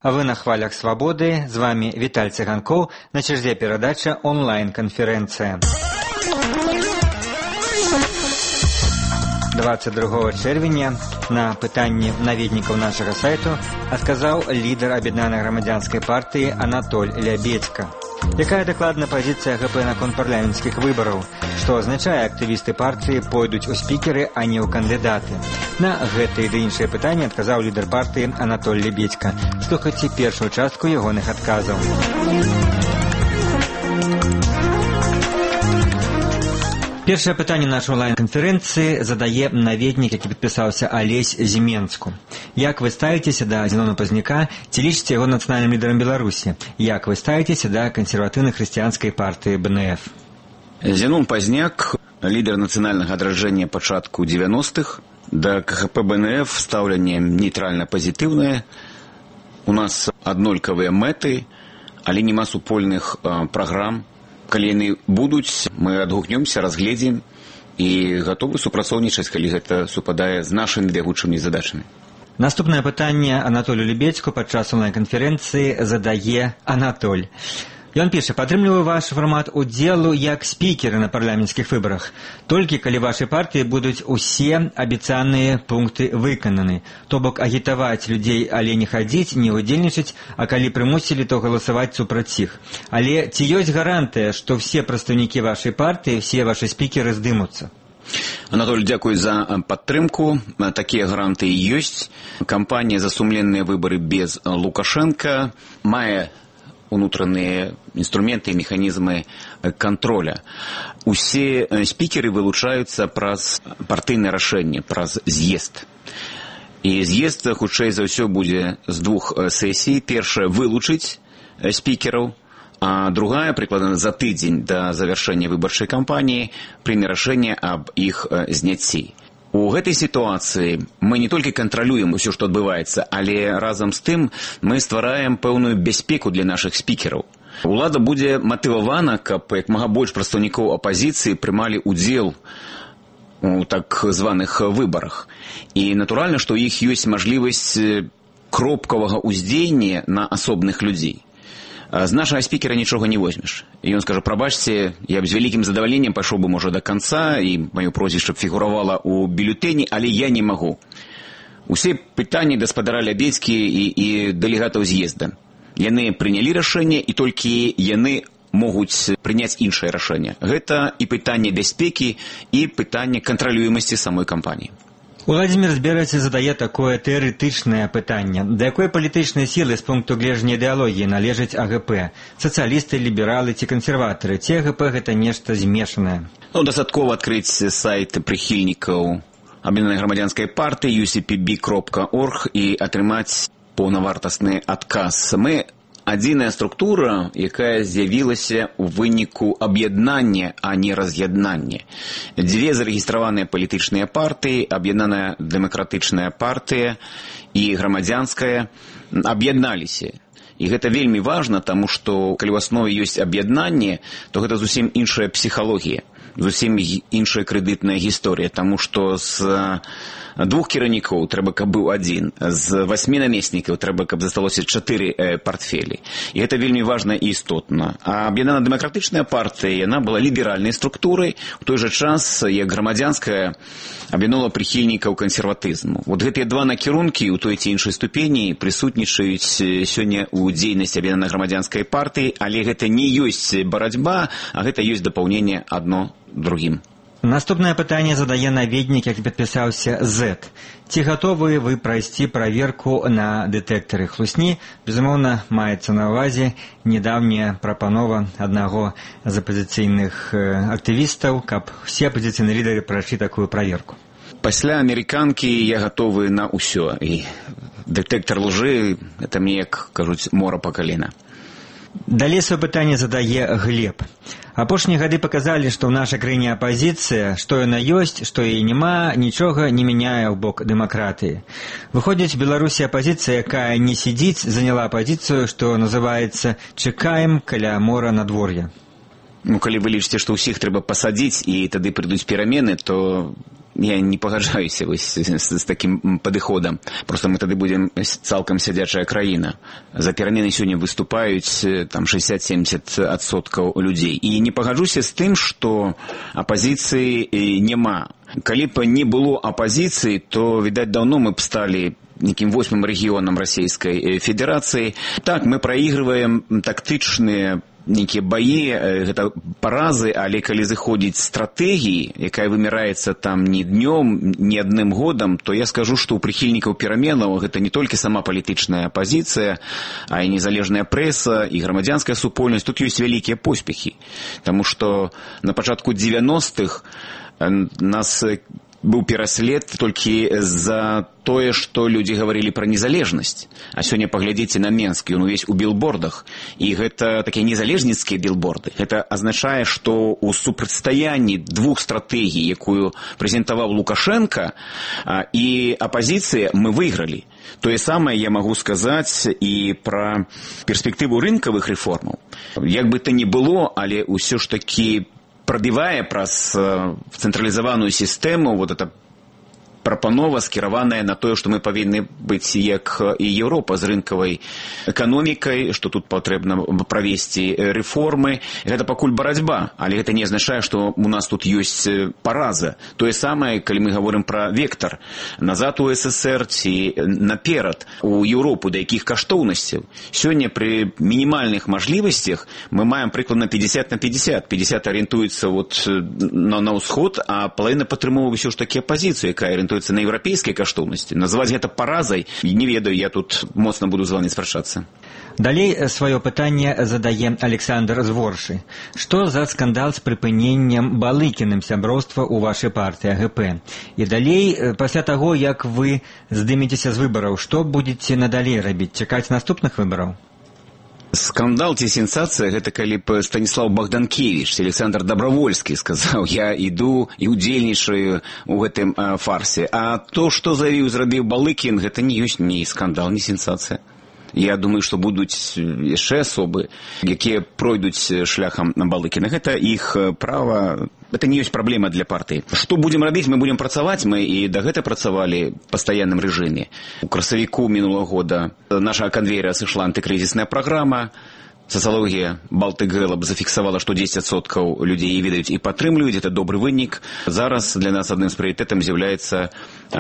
А вы на хвалях свободы. С вами Виталь Цыганков. На черзе передача онлайн-конференция. 22 чэрвеня на пытанні наведнікаў нашага сайту адказаў лідар аб'яднанай грамадзянскай партыі Анатоль Лябедзька. Якая дакладна пазіцыя ГП наконт парламенцкіх выбараў? Што азначае, актывісты партыі пойдуць у спікеры, а не ў кандыдаты? На гэтыя ды іншыя пытанні адказаў лідар партыі Анатоль Лябедзька. Слухайце першую частку ягоных адказаў. Першае пытанне нашай онлайн-канферэнцыі задае наведнік, які падпісаўся Алесь Зіменску. Як вы ставіцеся да Зенона Пазняка, ці лічыце яго нацыянальным лідарам Беларусі? Як вы ставіцеся да кансерватыўна-хрысціянскай партыі БНФ? Зенон Пазняк, лідар нацыянальнага адраджэння пачатку 90-х, да КХП БНФ стаўленне нейтральна-пазітыўнае. У нас аднолькавыя мэты, але няма супольных праграм. Калі яны будуць, мы адгукнёмся, разгледзім і гатовы супрацоўнічаць, калі гэта супадае з нашымі бягучымі задачамі. Наступнае пытанне Анатолю Лябедзьку падчас онлайн-канферэнцыі задае Анатоль. Ён піша: падтрымліваю ваш фармат удзелу як спікеры на парламенцкіх выбарах. Толькі калі вашай партыі будуць усе абяцаныя пункты выкананы. То бок агітаваць людзей, але не хадзіць, не удзельнічаць, а калі прымусілі, то галасаваць супраць іх. Але ці ёсць гарантыя, што все прадстаўнікі вашай партыі, все ваши спікеры здымуцца? Анатоль, дзякуй за падтрымку. Такія гарантыі ёсць. Кампанія за сумленныя выбары без Лукашенка мае унутраныя інструменты і механізмы контроля. Усе спікеры вылучаюцца праз партыйнае рашэнне, праз з'езд. І з'езд, хутчэй за ўсё, будзе з двух сесій. Першая — вылучыць спікераў, а другая, прыкладна за тыдзень да завяршэння выбарчай кампаніі, прыме рашэнне аб іх зняцці. У гэтай сітуацыі мы не толькі кантралюем усё, што адбываецца, але разам з тым мы ствараем пэўную бяспеку для нашых спікераў. Улада будзе матывавана, каб як мага больш прадстаўнікоў апазіцыі прымалі ўдзел у так званых выбарах. І натуральна, што ў іх ёсць мажлівасць кропкавага ўздзеяння на асобных людзей. З нашага спікера нічога не возьмеш. І ён скажа: прабачце, я б з вялікім задавальненнем пайшоў бы, можа, да канца, і маё прозвішча б фігуравала ў бюлетэні, але я не магу. Усе пытанні гаспадара Лябедзькі і дэлегатаў з'езда. Яны прынялі рашэнне, і толькі яны могуць прыняць іншае рашэнне. Гэта і пытанне бяспекі, і пытанне кантралюемасці самой кампаніі. Уладзімір Збераці задае такое тэарэтычнае пытанне. Да якой палітычнай сілы з пункту гледжання ідэалогіі належаць АГП? Сацыялісты, лібералы ці кансерватары? Ці АГП гэта нешта змешанае? Дастаткова адкрыць сайт прыхільнікаў аб'яднанай грамадзянскай партыі ucpb.org і атрымаць паўнавартасны адказ. Мы адзіная структура, якая з'явілася ў выніку аб'яднання, а не раз'яднання. Дзве зарэгістраваныя палітычныя партыі, аб'яднаная дэмакратычная партыя і грамадзянская, аб'ядналіся. І гэта вельмі важна, таму што калі ў аснове ёсць аб'яднанне, то гэта зусім іншая псіхалогія, зусім іншая крэдытная гісторыя, таму што з двух кіраўнікоў трэба, каб быў адзін, з 8 намеснікаў трэба, каб засталося 4 партфелі. І гэта вельмі важна і істотна. А аб'яднана дэмакратычная партыя, яна была ліберальнай структурай, у той жа час, як грамадзянская аб'яднала прыхільнікаў кансерватызму. Вот гэтыя два накірункі ў той ці іншай ступені прысутнічаюць сёння ў дзейнасці аб'яднанай грамадзянскай партыі, але гэта не ёсць барацьба, а гэта ёсць дапаўненне адно другім. Наступнае пытанне задае наведнік, які падпісаўся Z. Ці гатовы вы прайсці праверку на дэтэктары хлусні? Безумоўна, маецца на ўвазе недаўняя прапанова аднаго з апазіцыйных актывістаў, каб усе апазіцыйныя лідары прайшлі такую праверку. Пасля амерыканкі я гатовы на ўсё. І дэтэктар лжы — гэта мне, як кажуць, мора па калена. Далей сваё пытанне задае Глеб. Апошнія гады паказалі, што ў нашай краіне апазіцыя, што яна ёсць, што яе няма, нічога не мяняе ў бок дэмакратыі. Выходзіць, у Беларусі апазіцыя, якая не сидзіць, заняла пазіцыю, што называецца «чакаем каля мора надвор'я». Калі вы лічыце, што ўсіх трэба пасадзіць і тады прыйдуць перамены, то я не пагаджаюся з такім падыходам. Просто мы тады будем цалкам сядзячая краіна. За перамены сёння выступаюць там 60-70% людзей. І не пагаджуся з тым, што апазіцыі няма. Калі б не было апазіцыі, то, відаць, даўно мы б сталі неким 8-м рэгіёнам Расійскай Федэрацыі. Так, мы праігрываем тактычныя некія баі, гэта паразы, але калі зыходзіць стратэгіі, якая вымяраецца там не днём, не адным годам, то я скажу, што ў прыхільнікаў пераменаў гэта не толькі сама палітычная апазіцыя, а і незалежная прэса, і грамадзянская супольнасць. Тут ёсць вялікія поспехі. Таму што на пачатку 90-х нас быў пераслед толькі за тое, што людзі гаварылі пра незалежнасць. А сёння паглядзіце на Менск, ён увесь у білбордах. І гэта такія незалежніцкія білборды. Гэта азначае, што ў супрацьстаянні двух стратэгій, якую прэзентаваў Лукашенко, і апазіцыя, мы выйгралі. Тое самае я магу сказаць і пра перспектыву рынкавых рэформаў. Як бы то ні было, але ўсё ж такі пробивая праз цэнтралізаваную сістэму, вот эта прапанова скіраваная на тое, што мы павінны быць як і Еўропа з рынкавай эканомікай, што тут патрэбна правесці рэформы. Гэта пакуль барацьба, але гэта не азначае, што у нас тут ёсць параза. Тое самае, калі мы гаворым пра вектар назад у СССР ці наперад у Еўропу, да якіх каштоўнасцяў. Сёння пры мінімальных мажлівасцях мы маем прыкладна 50 на 50. 50 арыентуецца вот на ўсход, а палавіна падтрымоўвае ўсё ж такі апазіцыю, якая арыентуецца на еўрапейскай каштоўнасці. Назваць гэта паразай, не ведаю, я тут моцна буду з вами спрачацца. Далей сваё пытанне задае Александр з Воршы. Што за скандал з прыпыненнем Балыкіным сяброўства ў вашай партыі АГП? І далей, пасля таго, як вы здымецеся з выбараў, што будзеце надалей рабіць? Чакаць наступных выбараў? Скандал ці сенсацыя, гэта калі б Станіслав Богданкевич, Александр Добровольскі сказаў, я іду і удзельнічаю ў гэтым фарсе. А то, што зрабіў Балыкін, гэта не ёсць ні скандал, ні сенсацыя. Я думаю, што будуць яшчэ асобы, якія пройдуць шляхам Балыкіна. Гэта іх права, гэта не ёсць праблема для партыі. Што будзем рабіць? Мы будзем працаваць, мы і дагэтуль працавалі ў пастаянным рэжыме. У красавіку мінулага года нашага канвеера сышла антыкрызісная праграма. Сацыялогія Baltic Gallup зафіксавала, што 10% людзей ведаюць і падтрымліваюць. Гэта добры вынік. Зараз для нас адным з прыярытэтаў з'яўляецца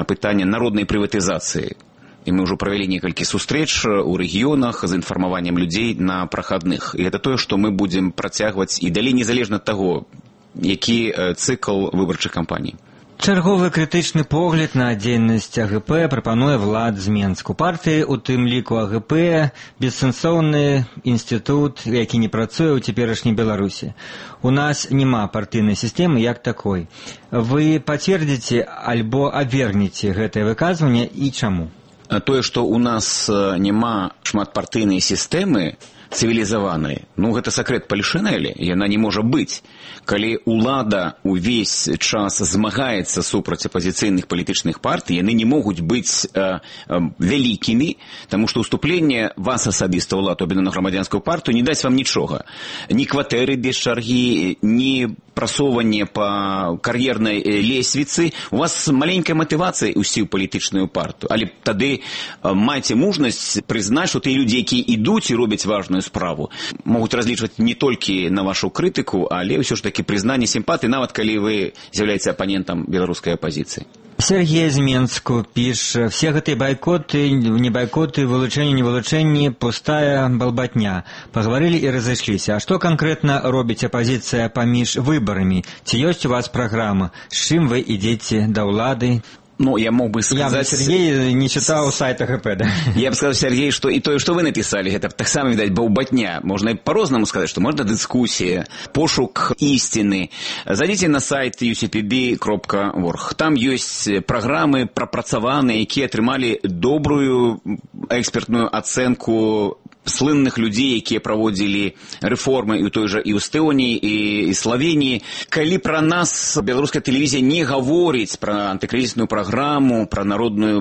пытанне народнай прыватызацыі. І мы ўжо правялі некалькі сустрэч у рэгіёнах з інфармаваннем людзей на прахадных. І гэта тое, што мы будзем працягваць і далей незалежна ад таго, які цыкл выбарчых кампаній. Чарговы крытычны погляд на дзейнасць АГП прапануе Влад з Менску. Партыі, у тым ліку АГП, бессэнсоўны інстытут, які не працуе ў цяперашняй Беларусі. У нас няма партыйнай сістэмы як такой. Вы пацвердзіце альбо абвергнеце гэтае выказванне і чаму? Тое, што ў нас няма шматпартыйнай сістэмы цывілізаванай, гэта сакрэт палішынэлі, яна не можа быць. Калі ўлада ўвесь час змагаецца супраць апазіцыйных палітычных партый, яны не могуць быць вялікімі, таму што ўступленне вас асабіста ўлад, або на грамадзянскую партыю, не дасць вам нічога. Ні кватэры без чаргі, ні прасоўванне па кар'ернай лесвіцы. У вас маленькая матывацыя ісці ў палітычную партыю, але тады майце мужнасць прызнаць, што тыя людзі, якія ідуць і робяць важную справу, могуць разлічваць не толькі на вашу крытыку, але ўсё ж такі прызнанне сімпатыі, нават калі вы з'яўляецеся апанентам беларускай апазіцыі. Сергей з Менску піша, все гэтыя байкоты, не байкоты, вылучэнні, не вылучэнні, пустая балбатня. Паговорили і разышліся. А што канкрэтна робіць апазіцыя паміж выбарамі? Ці ёсць у вас праграма? З чым вы ідзеце да ўлады? Я мог бы сказать... Сергей не читал сайт АГП, да? Я бы сказал, Сергей, что и то, что вы написали, это так само, видать, балбатня. Можно и по-разному сказать, что можно дискуссия, пошук истины. Зайдите на сайт ucpb.org. Там есть программы пропрацаванные, которые отрымали добрую экспертную оценку слынных людзей, якія праводзілі рэформы і ў той жа і ў Эстоніі, і Славеніі. Калі пра нас беларуская тэлевізія не гаворыць пра антыкрызісную праграму, пра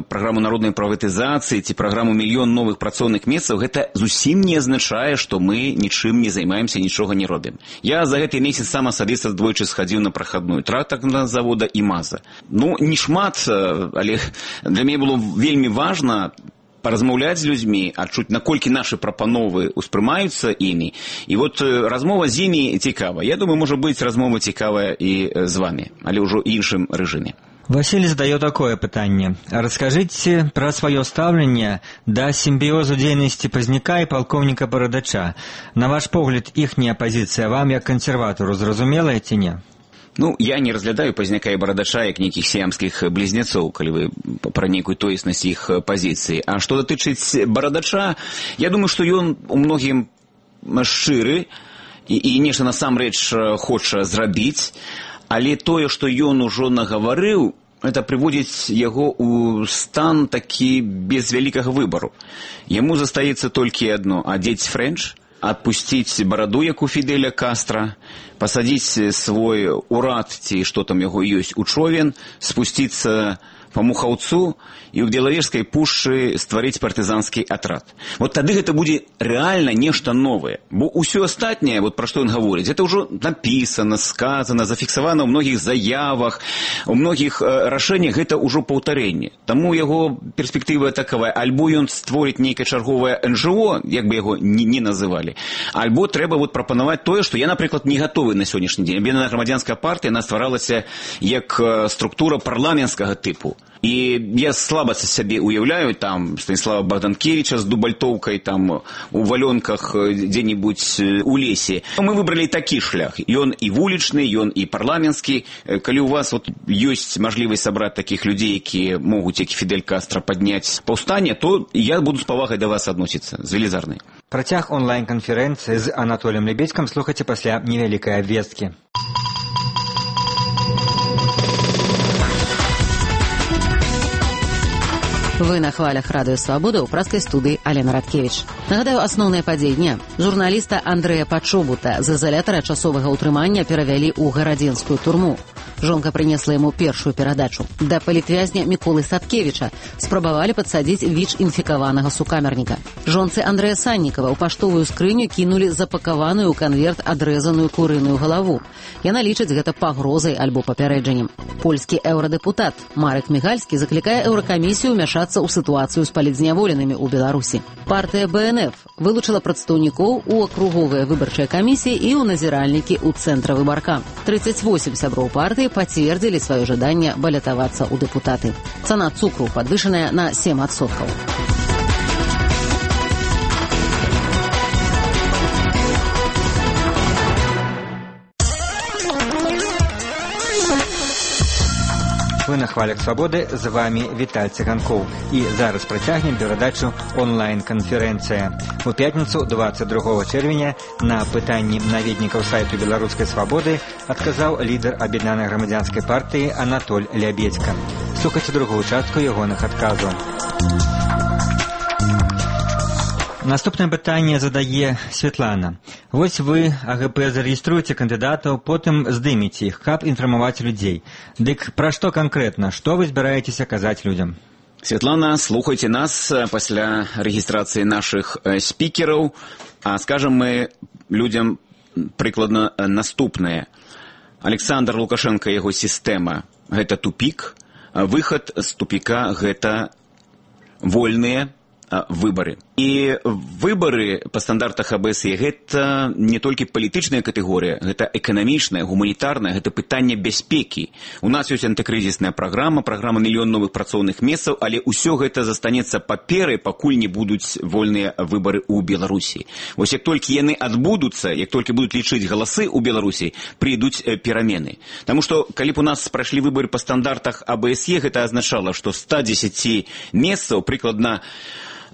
праграму народнай прыватызацыі ці праграму мільён новых працоўных месцаў, гэта зусім не азначае, што мы нічым не займаемся, нічога не робім. Я за гэты месяц сам асабіста двойчы схадзіў на прахадную трактарнага завода і МАЗа. Ну, не шмат, але для мяне было вельмі важна паразмаўляць з людзьмі, адчуць, наколькі нашы прапановы ўспрымаюцца імі. І вот размова з імі цікава. Я думаю, можа быць, размова цікавая і з вами, але ўжо іншым рэжыме. Василий задает такое пытанне. Расскажите про свое ставленне да симбиозу дзейнасці Пазняка и полковника Барадача. На ваш погляд, ихняя позиция вам, як консерватору, зразумелая ці не? Ну, я не разглядаю Пазняка і Барадача як нейкіх сіямскіх близнецоў, калі вы пра нейкую тоеснасць іх пазіцыі. А што датычыць Барадача, я думаю, што ён у многім шчыры і нешта насамрэч хоча зрабіць, але тое, што ён ужо нагаварыў, это прыводзіць яго ў стан такі без вялікага выбару. Яму застаецца толькі адно – адзець фрэнч, адпусціць бараду, як у Фідэля Кастра, пасадзіць свой урад, ці што там яго ёсць, у човен, спусціцца па Мухаўцу і ў Белавежскай пушчы стварыць партызанскі атрад. Вот тады гэта будзе рэальна нешта новае. Бо ўсё астатняе, вот пра што ён гаворыць, гэта ўжо напісана, сказана, зафіксавана ў многіх заявах, у многіх рашэннях, гэта ўжо паўтарэнне. Таму яго перспектыва такавая, альбо ён створыць нейкае чарговае НЖО, як бы яго не называлі, альбо трэба вот прапанаваць тое, што я, напрыклад, не гатовы на сённяшні дзень. Аб'яднаная грамадзянская партыя, яна стваралася як структура парламенцкага тыпу. І я слаба сябе уяўляю там Станіслава Богданкевича з дубальтоўкай там у валёнках дзе-небудзь у лесе. Мы выбралі такі шлях. Ён і вулічны, ён і парламенtsкі. Калі у вас вот ёсць мажлівасць сабраць такіх людзей, якія могуць, як Фідель Кастра, падняць паўстанне, то я буду з павагай да вас адносіцца, з велізарнай. Працяг онлайн-канферэнцыі з Анатоліем Лебедзькім слухайце пасля невялікай абвесткі. Вы на хвалях Радыё Свабода ў праскай студыі Алена Радкевіч. Нагадаю, асноўныя падзеі дня. Журналіста Андрэя Пачобута з изалятара часовага ўтрымання перавялі ў гарадзенскую турму. Жонка прынесла яму першую перадачу. Да палітвязня Міколы Садкевіча спрабавалі падсадзіць ВІЧ-інфікаванага сукамерніка. Жонцы Андрэя Саннікава ў паштовую скрыню кінулі запакаваную ў канверт адрэзаную курыную галаву. Яна лічыць гэта пагрозай альбо папярэджаннем. Польскі еўрадэпутат Марек Мігальскі заклікае еўракамісію ўмяшацца ў сітуацыю з палітзняволенымі ў Беларусі. Партыя БНФ вылучыла прадстаўнікоў у акруговыя выбарчыя камісіі і ў назіральнікі ў цэнтра выбарка. 38 сяброў партыі пацвердзілі сваё жаданне балятавацца ў дэпутаты. Цана цукру падвышаная на 7%. Вы на хвалях свабоды, з вами Віталь Цыганкоў. І зараз працягнем перадачу онлайн-канферэнцыя. У пятніцу 22 чэрвеня на пытанні наведнікаў сайту Беларускай свабоды адказаў лідар аб'яднанай грамадзянскай партыі Анатоль Лябедзька. Слухайце другую частку ягоных адказаў. Наступнае пытанне задае Светлана. Вось вы, АГП, зарэгіструеце кандыдатаў, потым здымеце іх, каб інфармаваць людзей. Дык пра што канкрэтна? Што вы збіраецеся казаць людзям? Светлана, слухайце нас пасля рэгістрацыі нашых спікераў. А скажам мы людзям прыкладна наступнае. Александр Лукашенко, яго сістэма – гэта тупік. Выхад з тупіка – гэта вольныя выбары. І выбары па стандартах АБСЕ гэта не толькі палітычная катэгорыя, гэта эканамічная, гуманітарная, гэта пытанне бяспекі. У нас ёсць антыкрызісная праграма мільён новых працоўных месцаў, але ўсё гэта застанецца паперай, пакуль не будуць вольныя выбары ў Беларусі. Вось як толькі яны адбудуцца, як толькі будуць лічыць галасы ў Беларусі, прыйдуць перамены. Таму што калі б у нас прайшлі выбары па стандартах АБСЕ, гэта азначала, што 110 месцаў прыкладна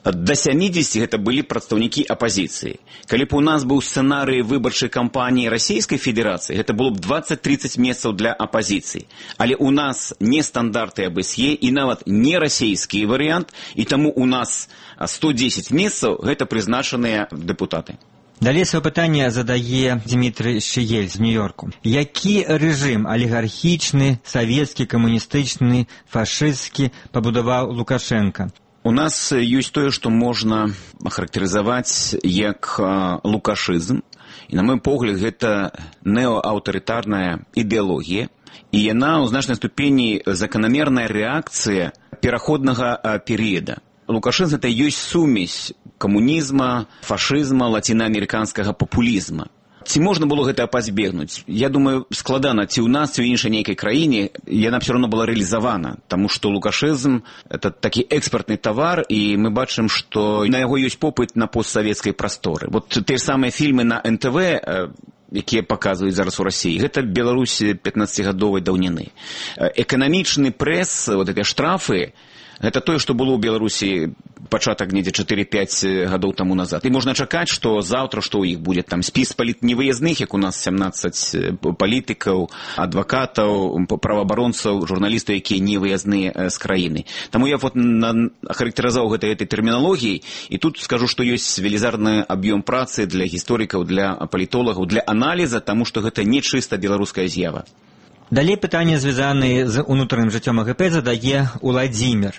До 70 гэта былі прадстаўнікі апазіцыі. Калі б у нас быў сцэнарый выбарчай кампаніі Расійскай Федэрацыі, гэта было б 20-30 месцаў для апазіцыі. Але у нас не стандарты АБСЕ і нават не расійскі варыянт, і таму у нас 110 месцаў гэта прызначаныя дэпутаты. Далей сваё пытанне задае Дмітрый Шыель з Нью-Йорку. Які рэжым алігархічны, савецкі, камуністычны, фашысцкі пабудаваў Лукашенка? У нас ёсць тое, што можна ахарактарызаваць як лукашызм. І, на мой погляд, гэта неоаўтарытарная ідэалогія. І яна ў значнай ступені заканамерная рэакцыя пераходнага перыяда. Лукашызм гэта ёсць сумесь камунізма, фашызма, лацінаамерыканскага папулізма. Ці можна было гэта пазбегнуць? Я думаю, складана, ці ў нас, ці ў іншай нейкай краіне, яна ўсё роўно была рэалізавана, таму што лукашызм – это такі экспартны тавар, і мы бачым, што на яго ёсць попыт на постсавецкай прасторы. Вот те ж самыя фільмы на НТВ, якія паказваюць зараз у Расіі, гэта Беларусь 15-гадовай даўніны. Эканамічны прэс, вот гэтыя штрафы, гэта тое, што было ў Беларусі пачатак недзе 4-5 гадоў таму назад. І можна чакаць, што заўтра, што ў іх будзе там спіс невыязных, як у нас 17 палітыкаў, адвакатаў, праваабаронцаў, журналістаў, якія невыязныя з краіны. Таму я ахарактарызаваў гэтай тэрміналогіяй, і тут скажу, што ёсць велізарны аб'ём працы для гісторыкаў, для палітолагаў, для аналіза, таму што гэта не чыста беларуская з'ява. Далей пытанне, звязанае з унутраным жыццём АГП, задае Уладзімір.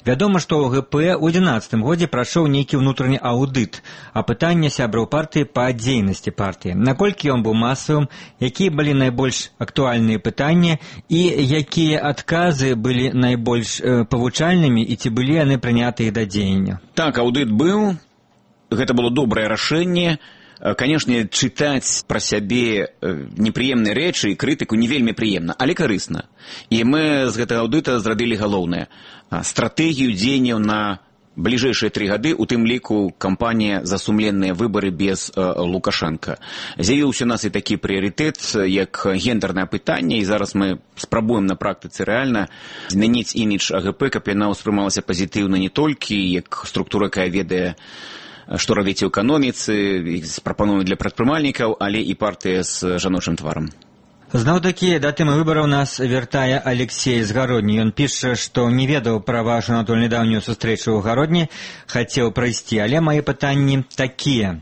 Вядома, што АГП ў 2011 годзе прайшоў нейкі ўнутраны аўдыт, а пытанне сябраў партыі па дзейнасці партыі. Наколькі ён быў масавым, якія былі найбольш актуальныя пытанні і якія адказы былі найбольш павучальнымі і ці былі яны прынятыя да дзеяння? Так, аўдыт быў, гэта было добрае рашэнне. Канешне, чытаць пра сябе непрыемныя рэчы і крытыку не вельмі прыемна, але карысна. І мы з гэтага аўдыта зрабілі галоўнае. Стратэгію дзеянняў на бліжэйшыя 3 гады, у тым ліку кампанія за сумленныя выбары без Лукашенка. З'явіўся у нас і такі прыярытэт, як гендернае пытанне, і зараз мы спрабуем на практыцы рэальна змяніць імідж АГП, каб яна ўспрымалася пазітыўна не толькі як структура, якая ведае, што робіць у эканоміцы, прапановы для прадпрымальнікаў, але і партыя з жаночым тварам. Зноў-такі да тэмы выбараў нас вяртае Алексей з Гародні. Ён піша, што не ведаў пра вашу нядаўнюю сустрэчу ў Гародні, хацеў прайсці, але мае пытанні такія.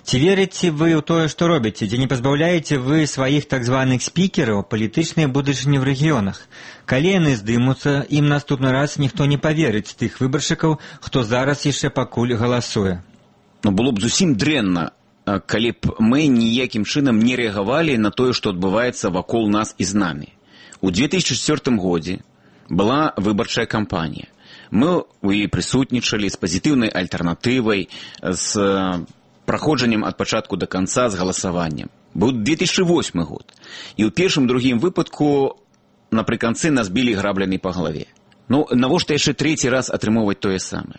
Ці верыце вы ў тое, што робіце? Ці не пазбаўляеце вы сваіх так званых спікераў палітычнай будучыні ў рэгіёнах? Калі яны здымуцца, ім наступны раз ніхто не паверыць тых выбаршчыкаў, хто зараз яшчэ пакуль галасуе. Но было б зусім дрэнна, калі б мы ніякім чынам не рэагавалі на тое, што адбываецца вакол нас і з намі. У 2004 годзе была выбарчая кампанія. Мы ў яе прысутнічалі з пазітыўнай альтэрнатывай, з праходжаннем ад пачатку да канца, з галасаваннем. Быў 2008 год. І ў першым-другім выпадку напрыканцы нас білі граблями па галаве. Ну, навошта яшчэ 3-й раз атрымоўваць тое самае?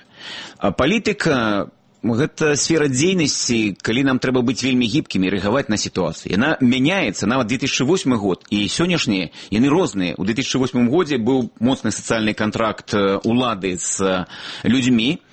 А палітыка – гэта сфера дзейнасці, калі нам трэба быць вельмі гібкімі, рэагаваць на сітуацыю. Яна мяняецца, нават 2008 год, і сённяшнія, яны розныя. У 2008 годзе быў моцны сацыяльны кантракт улады з людзьмі,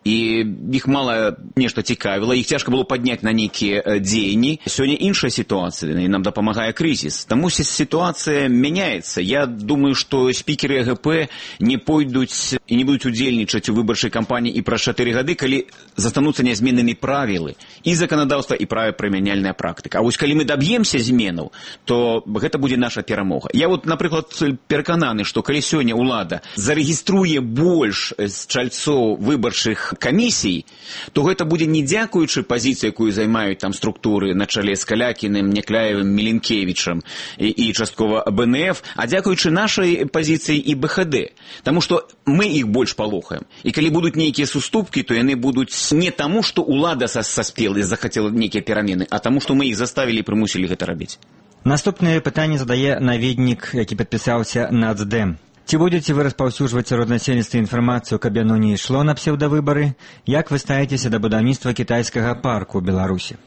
і іх мала нешта цікавіла, іх цяжка было падняць на нейкія дзеянні. Сёння іншая сітуацыя, і нам дапамагае крызіс. Таму сітуацыя мяняецца. Я думаю, што спікеры АГП не пойдуць і не будуць удзельнічаць у выбарчай кампаніі і праз 4 гады, калі застануцца нязменнымі правілы і заканадаўства, і правапрымяняльная практыка. А вось калі мы даб'емся зменаў, то гэта будзе наша перамога. Я вот, напрыклад, перакананы, што калі сёння ўлада зарэгіструе больш чальцоў выбарчых камісій, то гэта будзе не дзякуючы пазіцыі, якую займаюць там структуры на чале з Калякіным, Някляевым, Міленкевічам і часткова БНФ, а дзякуючы нашай пазіцыі і БХД. Таму што мы іх больш палохаем. І калі будуць нейкія суступкі, то яны будуць не таму, што ўлада саспела і захацела нейкія перамены, а таму, што мы іх заставілі і прымусілі гэта рабіць. Наступнае пытанне задае наведнік, які падпісаўся Нацдэм. Ці будзеце вы распаўсюджваць сярод насельніцтва інфармацыю, каб яно не ішло на псеўдавыбары? Як вы ставіцеся да будаўніцтва кітайскага парку ў Беларусі?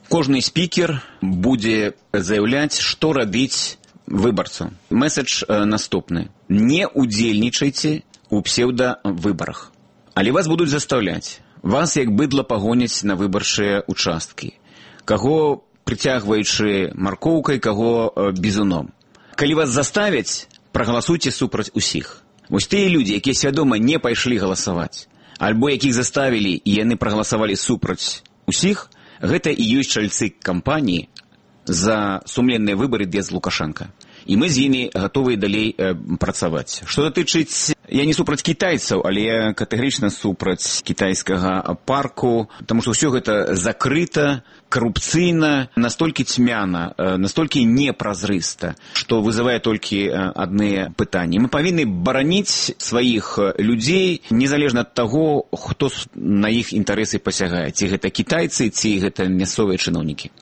Кожны спікер будзе заяўляць, што рабіць выбарцу. Месседж наступны. Не удзельнічайце у псеўдавыбарах. Але вас будуць заставляць. Вас як быдла пагоняць на выбарчыя участкі. Каго прыцягваючы маркоўкай, каго бізуном. Калі вас заставяць, прагаласуйце супраць усіх. Вось тыя людзі, якія свядома не пайшлі галасаваць, альбо якіх заставілі і яны прагаласавалі супраць усіх, гэта і ёсць чальцы кампаніі за сумленныя выбары без Лукашенка. І мы з імі гатовыя далей працаваць. Што датычыць, я не супраць кітайцаў, але я катэгарычна супраць кітайскага парку, таму што ўсё гэта закрыта, карупцыйна, настолькі цьмяна, настолькі непразрыста, што вызывае толькі адныя пытанні. Мы павінны бараніць сваіх людзей, незалежна ад таго, хто на іх інтарэсы пасягае. Ці гэта кітайцы, ці гэта мясцовыя чыноўнікі.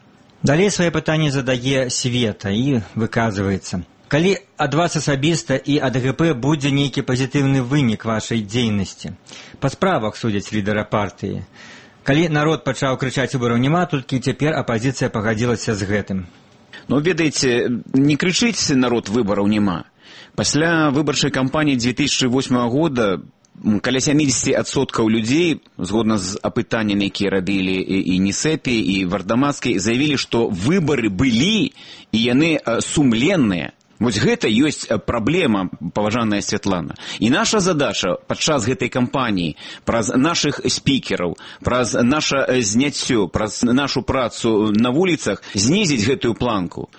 Далей свае пытанні задае Света і выказваецца. Калі ад вас асабіста і ад ГП будзе нейкі пазітыўны вынік вашай дзейнасці? Па справах судзяць лідара партыі. Калі народ пачаў крычаць выбараў няма, толькі цяпер апазіцыя пагадзілася з гэтым. Ну, ведаеце, не крычыць народ выбараў няма. Пасля выбарчай кампаніі 2008 года каля 70% людзей, згодна з апытаннямі, якія рабілі і НІСЭПі, і Вардамацкай, заявілі, што выбары былі, і яны сумленныя. Вось гэта ёсць праблема, паважаная Святлана. І наша задача падчас гэтай кампаніі праз нашых спікераў, праз наша зняццё, праз нашу працу на вуліцах знізіць гэтую планку.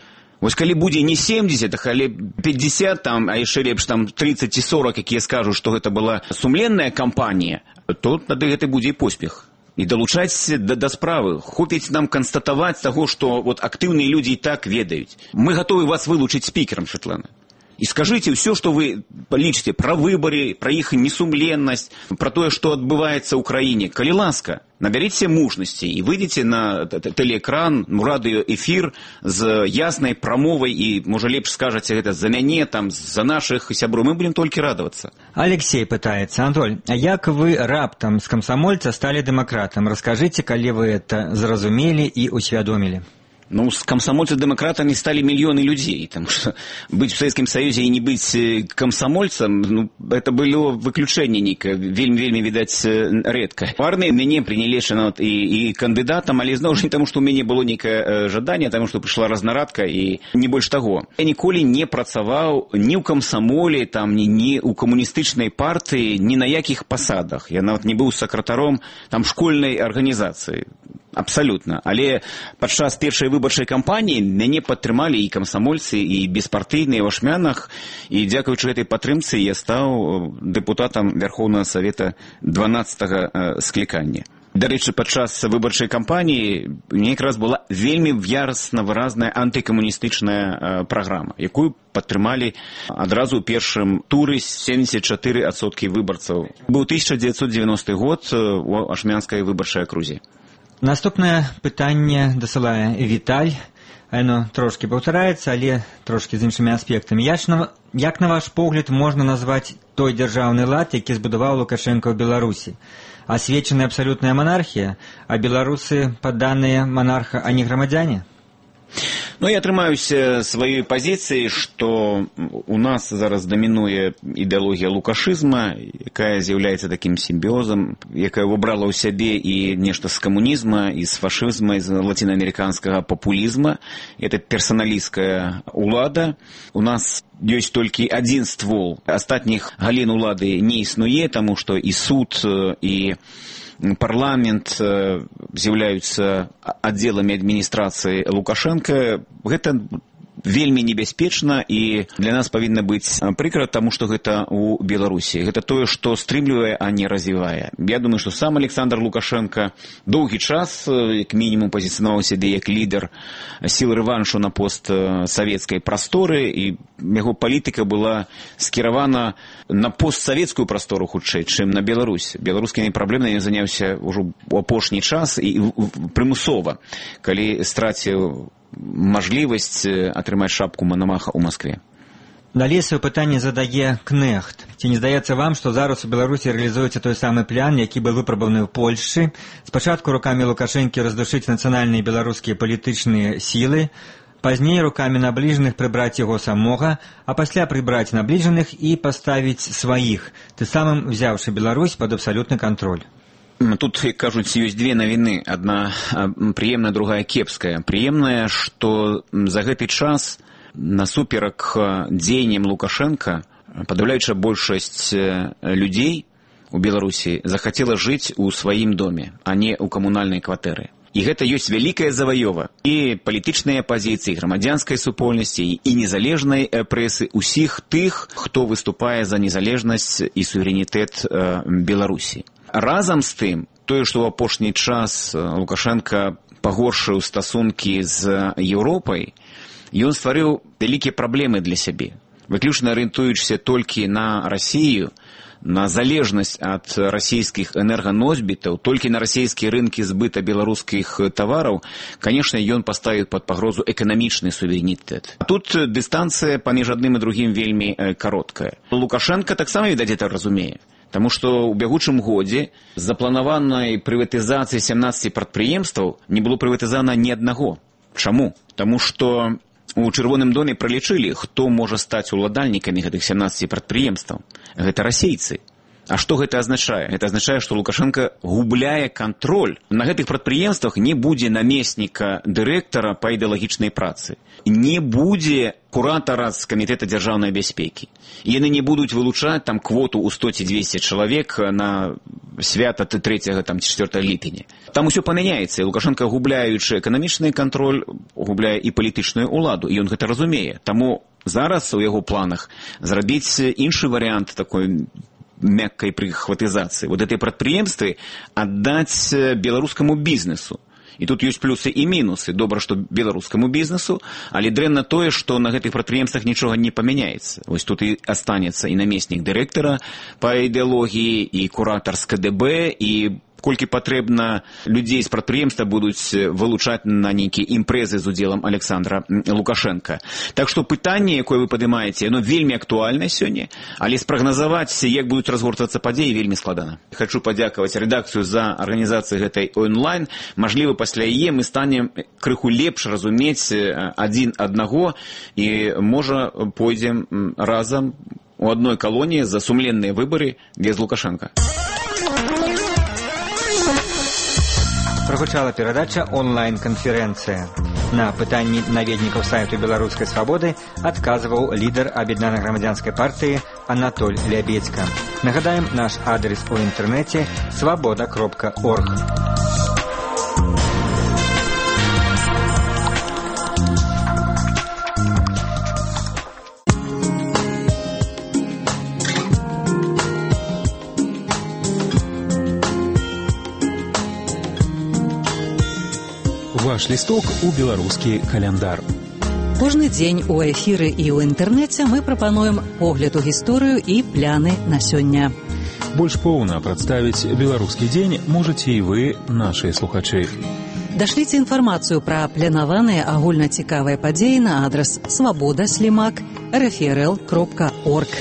Вось калі будзе не 70, але 50, там, а яшчэ лепш там 30 ці 40, якія скажуць, што гэта была сумленная кампанія, то тады гэта будзе і поспех. І далучаць да справы. Хопіць нам канстатаваць таго, што вот актыўныя людзі і так ведаюць. Мы гатовы вас вылучыць спікерам, Святлана. І скажыце ўсё, што вы лічыце пра выбары, пра іх несумленнасць, пра тое, што адбываецца ў краіне. Калі ласка, набярыце мужнасці і выйдзеце на тэлеэкран, радыёэфір з яснай прамовай і, можа, лепш скажаце гэта за мяне, там, за нашых сяброў. Мы будзем толькі радавацца. Алексей пытаецца. Антоль, а як вы раптам з камсамольца сталі дэмакратам? Раскажыце, калі вы это зразумелі і усвядомілі. Ну, с комсомольцев-демократами стали миллионы людей, потому что быть в Советском Союзе и не быть комсомольцем, ну, это было выключение некое, вельми, видать, редко. В армии меня приняли и кандидатом, але знову ж не тому, что у меня было некое жадание, тому, что пришла разнарадка и не больше того. Я ніколі не працаваў ни у комсомоле, там, ни у коммунистичной партии, ни на яких посадах. Я нават не был сакратаром там школьной организации. Абсолютно. Але падчас першай выбарчай кампаніі мяне падтрымалі і камсамольцы, і беспартыйныя ў ашмянах, і дзякуючы гэтай падтрымцы я стаў дэпутатам Верховнага Савета 12-го склікання. Дарэчы, падчас выбарчай кампаніі мне якраз была вельмі ярасна выразная антыкамуністычная праграма, якую падтрымалі адразу ў першым туры 74% выбарцаў. Быў 1990 год у ашмянскай выбарчай акрузе. Наступнае пытанне дасылае Віталь. Яно трошкі паўтараецца, але трошкі з іншымі аспектамі. Як на ваш погляд можна назваць той дзяржаўны лад, які збудаваў Лукашенко ў Беларусі? Асвечаная абсалютная манархія, а беларусы падданыя манарха, а не грамадзяне? Ну, я трымаюся сваёй пазіцыі, што у нас зараз дамінуе ідэалогія лукашызма, якая з'яўляецца такім сімбіозам, якая выбрала ў сябе і нешта з камунізма, і з фашызма, і з лацінаамерыканскага папулізма. Это персаналісцкая улада. У нас ёсць толькі адзін ствол. Астатніх галін улады не існуе, таму што і суд, і парламент з'яўляюцца аддзеламі адміністрацыі Лукашенка. Гэта вельмі небяспечна, і для нас павінна быць прыкра, таму што гэта ў Беларусі. Гэта тое, што стрымлівае, а не развівае. Я думаю, што сам Александр Лукашенко доўгі час, як мінімум, пазіцыянаваў сябе як лідар сіл рэваншу на постсавецкай прасторы, і яго палітыка была скіравана на постсавецкую прастору хутчэй, чым на Беларусь. Беларускімі праблемамі заняўся ўжо ў апошні час і прымусова, калі страціў мажлівасць атрымаць шапку Мономаха ў Маскве. Далей сваё пытанне задае Кнехт. Ці не здаецца вам, што зараз у Беларусі рэалізуецца той самы план, які быў выпрабаваны ў Польшчы? Спачатку рукамі Лукашэнкі раздушыць нацыянальныя беларускія палітычныя сілы, пазней рукамі набліжаных прыбраць яго самога, а пасля прыбраць набліжаных і паставіць сваіх, ты самым взяўшы Беларусь пад абсалютны кантроль. Тут, як кажуць, ёсць две навіны. Адна прыемная, другая кепская. Прыемная, што за гэты час насуперак дзеянням Лукашенка падаўляючая большасць людзей у Беларусі захацела жыць у сваім доме, а не ў камунальнай кватэры. І гэта ёсць вялікая заваёва і палітычнай апазіцыі, грамадзянскай супольнасці, і незалежнай прэсы, усіх тых, хто выступае за незалежнасць і суверэнітэт Беларусі. Разам з тым, тое, што ў апошні час Лукашенка пагоршыў стасункі з Еўропай, ён стварыў вялікія праблемы для сябе. Выключна арыентуючыся толькі на Расію, на залежнасць ад расійскіх энерганосьбітаў, толькі на расійскія рынкі збыта беларускіх тавараў, конечно, ён паставіў пад пагрозу эканамічны суверэнітэт. Тут дыстанцыя паміж адным і другім вельмі кароткая. Лукашенко таксама, відаць, гэта разумее. Таму што ў бягучым годзе з запланаванай прыватызацыі 17 прадпрыемстваў не было прыватызана ні аднаго. Чаму? Таму што у Чырвоным доме пралічылі, хто можа стаць уладальнікамі гэтых 17 прадпрыемстваў. Гэта расейцы. А што гэта азначае? Гэта азначае, што Лукашенко губляе кантроль. На гэтых прадпрыемствах не будзе намесніка дырэктара па ідэалагічнай працы. Не будзе куратара з камітэта дзяржаўнай бяспекі. Яны не будуць вылучаць там квоту ў 100 ці 200 чалавек на свята 3-4 ліпеня. Там усё памяняецца, і Лукашенко, губляючы эканамічны кантроль, губляе і палітычную ўладу, і ён гэта разумее. Таму зараз у яго планах зрабіць іншы варыянт такой мяккай прыхватызацыі. Вот этой прадпрыемствы аддаць беларускаму бізнесу. І тут ёсць плюсы і мінусы. Добра, што беларускаму бізнесу, але дрэнна тое, што на гэтых прадпрыемствах нічога не памяняецца. Вось тут і астанецца і намеснік дырэктара па ідэалогіі, і куратар з КДБ, і колькі патрэбна людзей з прадпрыемства будуць вылучаць на нейкія імпрэзы з удзелам Александра Лукашенка. Так што пытанне, якое вы падымаеце, яно вельмі актуальнае сёння, але спрагназаваць, як будуць разгортвацца падзеі, вельмі складана. Хачу падзякаваць рэдакцыю за арганізацыю гэтай онлайн. Мажліва, пасля яе мы станем крыху лепш разумець адзін аднаго і, можа, пойдзем разам у адной калоніі за сумленныя выбары без Лукашенка. Прагучала перадача онлайн-канферэнцыя. На пытанні наведнікаў сайту Беларускай свабоды адказваў лідар Аб'яднанай грамадзянскай партыі Анатоль Лябедзька. Нагадаем, наш адрес у інтэрнэце свабода.орг. Ваш лісток у беларускі каляндар. Кожны дзень у эфіры і ў інтэрнэце мы прапануем погляд у гісторыю і пляны на сёння. Больш поўна прадставіць беларускі дзень можаце і вы, нашыя слухачы. Дашліце інфармацыю пра планаваныя агульнацікавыя падзеі на адрас swaboda/rfrl.org.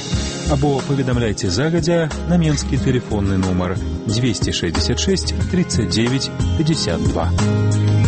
Або паведамляйце загадзя на менскі тэлефонны нумар 266 39 52.